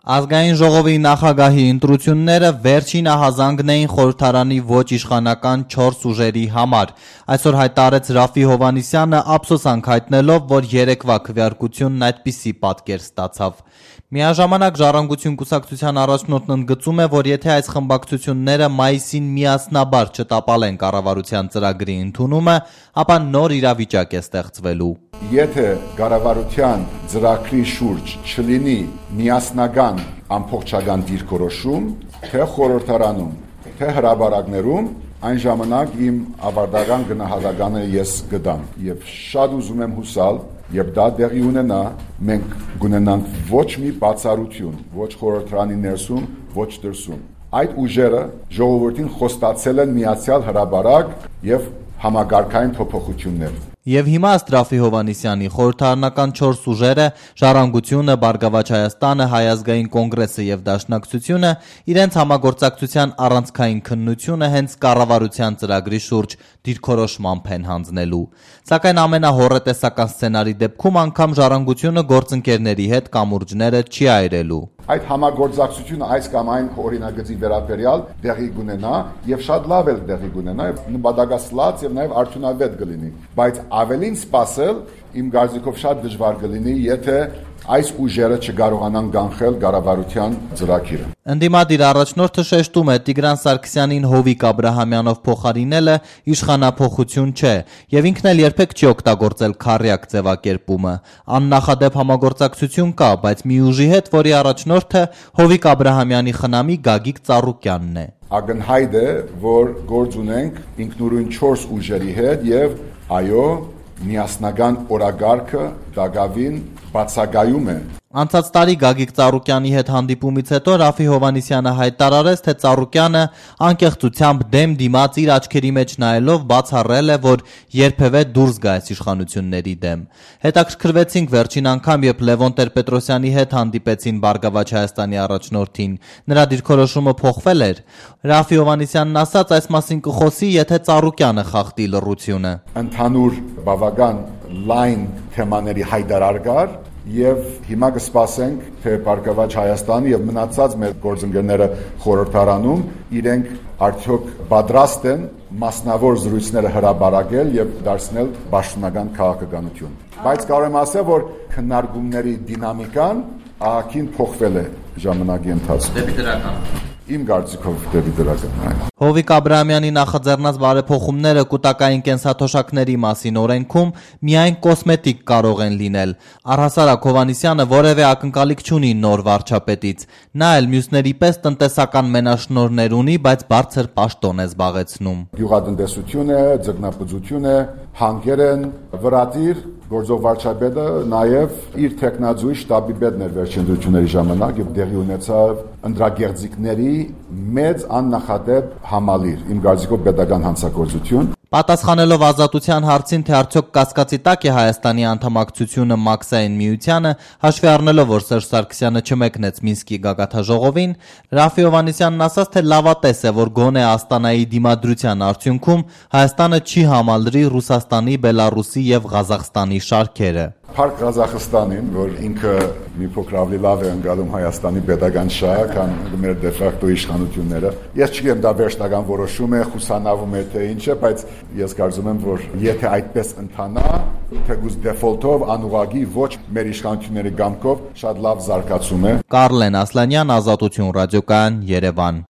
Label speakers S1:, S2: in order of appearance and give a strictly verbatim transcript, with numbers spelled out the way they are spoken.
S1: Ազգային ժողովի նախագահի ընտրությունները վերջին ահազանգն էին խորհրդարանի ոչ իշխանական չորս ուժերի համար։ Այսօր հայտարարեց Ռաֆի Հովհաննիսյանը, ափսոսանք հայտնելով, որ երեկվա քվեարկությունն այդպիսի պատկեր ստացավ։ Միաժամանակ Ժառանգություն կուսակցության առաջնորդն ընդգծում է, որ եթե այս խմբակցությունները մայիսին միասնաբար չտապալեն կառավարության ծրագրի ընդունումը, ապա նոր իրավիճակ է ստեղծվելու։
S2: Եթե կառավարության ծրագրի շուրջ չլինի միասնական ամբողջական դիրքորոշում, թե խորհրդարանում, թե հրապարակներում, այն ժամանակ իմ ավարտական գնահատականը ես կտամ եւ շատ ուզում եմ հուսալ, եւ դա դեղի ունենա, մենք կունենանք ոչ մի բացառություն, ոչ խորհրդարանի ներսում, ոչ դրսում։ Այդ ուժերը ժողովրդին խոստացել են միացյալ հրապարակ եւ համագարկային փոփոխություններ։
S1: Եվ հիմա ըստ Ռաֆի Հովհաննիսյանի խորհրդարանական չորս ուժերը՝ Ժառանգությունը, Բարգավաճ Հայաստանը, Հայ ազգային կոնգրեսը եւ Դաշնակցությունը, իրենց համագործակցության առանցքային քննությունը հենց կառավարության ծրագրի շուրջ դիրքորոշմամբ են հանձնելու։ Սակայն ամենահոռետեսական սցենարի դեպքում անգամ Ժառանգությունը գործընկերների հետ կամուրջները չի այրելու։
S2: Այդ համագործակցությունը այս կամ այն օրինագծի վերաբերյալ դեղի կունենա եւ շատ լավ էլ դեղի կունենա եւ նպատակասլաց եւ նաեւ արդյունավետ կլինի, բայց ավելին սпасել իմ կարծիքով շատ դժվար կլինի, եթե այս ուժերը չկարողանան կանխել կառավարության ծրագիրը։
S1: Ընդդիմադիր առաջնորդը շեշտում է Տիգրան Սարգսյանին Հովիկ Աբրահամյանով փոխարինելը իշխանափոխություն չէ եւ ինքն էլ երբեք չի օգտագործել քառյակ ձևակերպումը։ Աննախադեպ համագործակցություն կա, բայց մի ուժի հետ, որի առաջնորդը Հովիկ Աբրահամյանի խնամի Գագիկ Ծառուկյանն է։
S2: Ակնհայտ է, որ գործ ունենք ինքնուրույն չորս ուժերի հետ եւ այո, միասնական օրագարկը դակավին բացակայում է։
S1: Անցած տարի Գագիկ Ծառուկյանի հետ հանդիպումից հետո Ռաֆի Հովհաննիսյանը հայտարարեց, թե Ծառուկյանը անկեղծությամբ դեմ դիմաց իր աչքերի մեջ նայելով բացառել է, որ երբևէ դուրս գա այս իշխանությունների դեմ։ Հետաքրքրվեցինք վերջին անգամ, երբ Լևոն Տեր-Պետրոսյանի հետ հանդիպեցին Բարգավաճ Հայաստանի առաջնորդին, նրա դիրքորոշումը փոխվել էր։ Ռաֆի Հովհաննիսյանն ասաց, այս մասին կխոսի, եթե Ծառուկյանը խախտի լռությունը։
S2: Ընդհանուր բավական լայն թեմաների հայտարար կար եւ հիմա կսպասենք, թե Բարգավաճ Հայաստանի եւ մնացած մեր գործընկերները խորհրդարանում իրենք արդյոք պատրաստ են մասնավոր զրույցները հրապարակել եւ դարձնել պաշտոնական քաղաքականություն։ Բայց կարող եմ ասել, որ քննարկումների դինամիկան ահագին փոխվել է ժամանակի ընթացքում։
S1: Դեպի դրական։
S2: Իմ կարծիքով դեպի դրական։
S1: Հովիկ Աբրահամյանի նախաձեռնած բարեփոխումները կൂട്ടակային կենսաթոշակների մասին օրենքում միայն կոսմետիկ կարող են լինել։ Առհասարակ Հովհաննիսյանը որևէ ակնկալիք չունի նոր վարչապետից։ Նա էլ մյուսների պես տնտեսական մենաշնորհներ ունի, բայց բարձր պաշտոն է զբաղեցնում։
S2: Գյուղատնտեսություն է, ձկնապուծություն է, հանգեր են, վրատիր գործող վարչապետը նաև իր տեխնազույգ շտաբի պետն էր վերջին ընտրությունների ժամանակ եւ տեղի ունեցավ ընտրագեղձիկների մեծ աննախադեպ համալիր, իմ կարծիքով պետական հանցագործություն։
S1: Պատասխանելով ազատության հարցին, թե արդյոք կասկածի տակ է Հայաստանի անդամակցությունը Մաքսային միությանը, հաշվի առնելով, որ Սերժ Սարգսյանը չմեկնեց Մինսկի գագաթնաժողովին, Ռաֆի Հովհաննիսյանն ասաց, թե լավատես է, որ գոնե Աստանայի դիմադրության արդյունքում Հայաստանը չի համալրի Ռուսաստանի, Բելարուսի եւ Ղազախստանի շարքերը։
S2: Փառք Ղազախստանին, որ ինքը մի փոքր ավելի լավ է ընկալում Հայաստանի պետական շահը, քան մեր դե ֆակտո իշխանությունները։ Ես չգիտեմ դա վերջնական որոշում է, խուսանավում է թե ինչ է, բայց ես կարծում եմ, որ եթե այդպես ընթանա, թեկուզ դեֆոլտով անուղագի ոչ մեր իշխանությունների կամքով շատ լավ զարգացում է։
S1: Կարլեն Ասլանյան, Ազատություն ռադիոկայան, Երևան։